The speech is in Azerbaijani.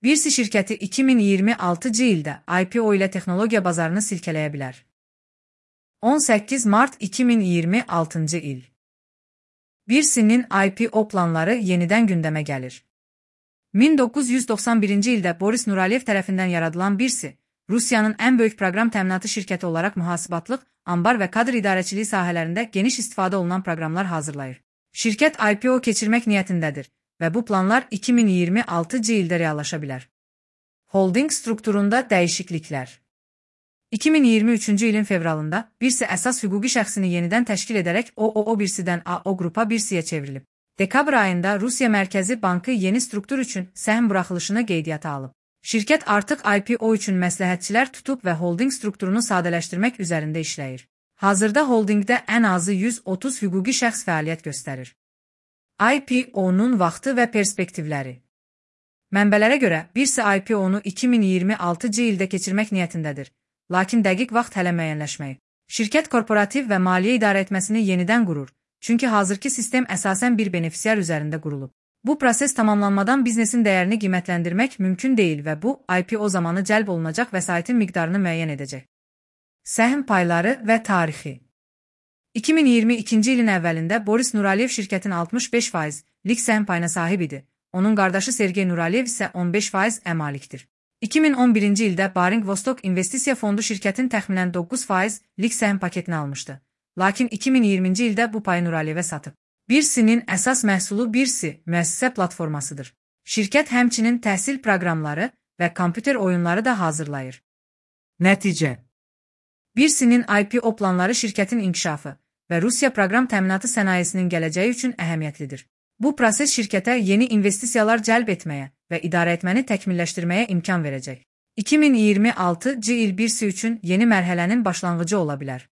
Birsi şirkəti 2026-cı ildə IPO ilə texnologiya bazarını silkələyə bilər. 18 mart 2026-cı il. Birsinin IPO planları yenidən gündəmə gəlir. 1991-ci ildə Boris Nuraliyev tərəfindən yaradılan Birsi, Rusiyanın ən böyük proqram təminatı şirkəti olaraq mühasibatlıq, ambar və kadr idarəçiliyi sahələrində geniş istifadə olunan proqramlar hazırlayır. Şirkət IPO keçirmək niyyətindədir və bu planlar 2026-cı ildə reallaşa bilər. Holding strukturunda dəyişikliklər. 2023-cü ilin fevralında Birsi əsas hüquqi şəxsini yenidən təşkil edərək OOO Birsidən AO Qrupa Birsiyə çevrilib. Dekabr ayında Rusiya Mərkəzi Bankı yeni struktur üçün səhm buraxılışını qeydiyyata alıb. Şirkət artıq IPO üçün məsləhətçilər tutub və holding strukturunu sadələşdirmək üzərində işləyir. Hazırda holdingdə ən azı 130 hüquqi şəxs fəaliyyət göstərir. IPO-nun vaxtı və perspektivləri. Mənbələrə görə Birsi IPO-nu 2026-cı ildə keçirmək niyyətindədir, lakin dəqiq vaxt hələ müəyyənləşməyib. Şirkət korporativ və maliyyə idarəetməsini yenidən qurur, çünki hazırki sistem əsasən bir benefisiar üzərində qurulub. Bu proses tamamlanmadan biznesin dəyərini qiymətləndirmək mümkün deyil və bu, IPO zamanı cəlb olunacaq vəsaitin miqdarını müəyyən edəcək. Səhm payları və tarixi. 2022-ci ilin əvvəlində Boris Nuraliyev şirkətin 65%lik səhm payına sahib idi. Onun qardaşı Sergey Nuraliyev isə 15% malikdir. 2011-ci ildə Baring Vostok İnvestisiya Fondu şirkətin təxminən 9%lik səhm paketini almışdı. Lakin 2020-ci ildə bu payı Nuraliyevə satıb. Birsinin əsas məhsulu Birsi müəssisə platformasıdır. Şirkət həmçinin təhsil proqramları və kompüter oyunları da hazırlayır. Nəticə. Birsinin IPO planları şirkətin inkişafı və Rusiya proqram təminatı sənayesinin gələcəyi üçün əhəmiyyətlidir. Bu proses şirkətə yeni investisiyalar cəlb etməyə və idarəetməni təkmilləşdirməyə imkan verəcək. 2026-cı il Birsi üçün yeni mərhələnin başlanğıcı ola bilər.